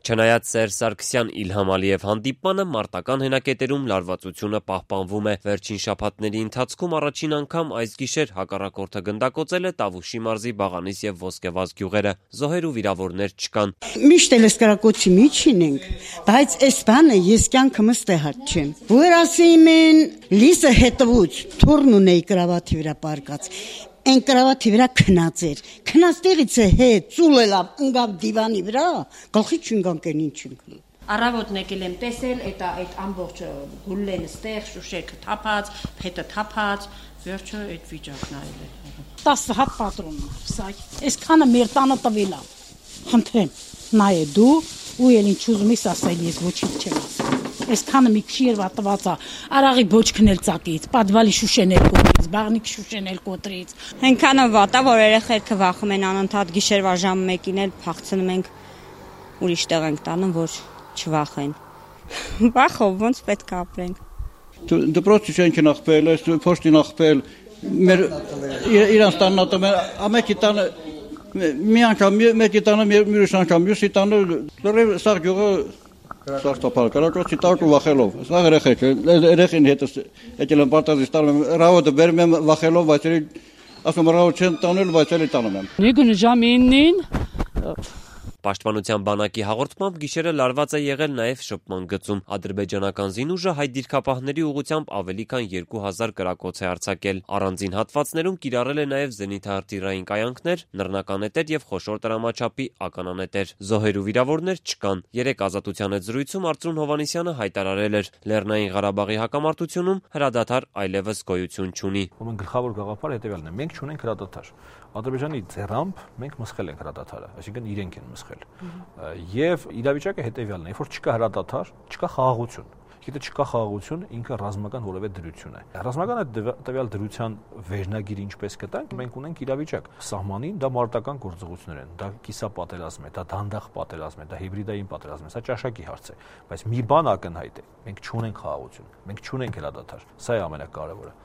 Չնայած Սերժ Սարգսյան Իլհամ Ալիև հանդիպմանը մարտական հենակետերում լարվածությունը պահպանվում է։ Վերջին շաբաթների ընթացքում առաջին անգամ այս գիշեր հակառակորդը գնդակոծել է Տավուշի մարզի Բաղանիս եւ Ոսկեվազ գյուղերը։ Զոհեր ու վիրավորներ չկան։ Միշտ էլ սկրակոծի միջին ենք, բայց այս բանը ես կյանքումս տեղած չեմ։ Որ ասում են լիսը հետևուց թուրն ունեի կրավաթի վրա պարկած։ Այն կրավաթի վրա քնած էր։ Քնած տեղից է հետ ծուլելավ ընկավ դիվանի վրա, գլխի չընկանք են ինչ ընկնի։ Առավոտն եկել եմ տեսել, այդ ամբողջ գուլլեն ստեղ, շուշեքը թափած, փետը թափած, վերջը այդ վիճակն այլ է։ 10 հատ պատրոն, սա, այսքանը մեր տանը տվել է։ Խնդրեմ, նայե դու ու էլ ինչ ուզում ես ասել, ես ոչինչ չեմ ասել։ Այսքանը մի քիչ երևա տված է, արաղի բոճքն էլ ծակից, պատվալի շուշեն էլ կոտրից, բաղնիկ շուշեն էլ կոտրից։ Այնքանը վատ է, որ երեխեքը վախում են անընդհատ գիշերվա ժամը 1-ին էլ փախցնում ենք ուրիշ տեղ ենք տանում, որ չվախեն։ Վախով ոնց պետք է ապրենք։ Դպրոցի շենքն ախպել, փոշտին ախպել, մեր իրանց տանն ատում են, ամեկի տանը մի անգամ, մեկի տանը մյուրիշ անգամ, մյուսի տանը լրիվ սաղ գյուղը Սարսափալ կարակոցի տակ ու վախելով։ Սա երեխին հետս եկել եմ պարտազից տանում եմ, ռավոտը բերում եմ վախելով, բայց ասում ռավոտ չեն տանել, բայց էլի տանում եմ։ Նույն ժամ 9-ին Պաշտպանության բանակի հաղորդմամբ գիշերը լարված է եղել նաև շփման գծում։ Ադրբեջանական զինուժը հայ դիրքապահների ուղղությամբ ավելի քան 2000 կրակոց է արձակել։ Առանձին հատվածներում կիրառել է նաև զենիթահրթիռային կայանքներ, նռնականետեր եւ խոշոր տրամաչափի ականանետեր։ Զոհեր ու վիրավորներ չկան։ Երեք Ազատության հետ զրույցում Արծրուն Հովհաննիսյանը հայտարարել էր. Լեռնային Ղարաբաղի հակամարտությունում հրադադար այլևս գոյություն չունի։ Ուրեմն գլխավոր գաղափարը հետեւյալն է. մենք չունենք հրադադար։ Ադրբեջանի ձեռամբ մենք մսխել ենք հրադադարը, այսինքն իրենք են մսխել։ Եվ իրավիճակը հետեւյալն է, երբ որ չկա հրադադար, չկա խաղաղություն։ Եթե չկա խաղաղություն, ինքը ռազմական որևէ դրություն է։ Ռազմական այդ տվյալ դրության վերնագիրը ինչպես կտանք, մենք ունենք իրավիճակ։ Սահմանին դա մարտական գործողություններ են, դա կիսապատերազմ է, դա դանդաղ պատերազմ է, դա հիբրիդային պատերազմ է, սա ճաշակի հարց է։ Բայց մի բան ակնհայտ է, մենք չունենք խաղաղություն, մենք չունենք հրադադար։ Սա է ամենակարևորը։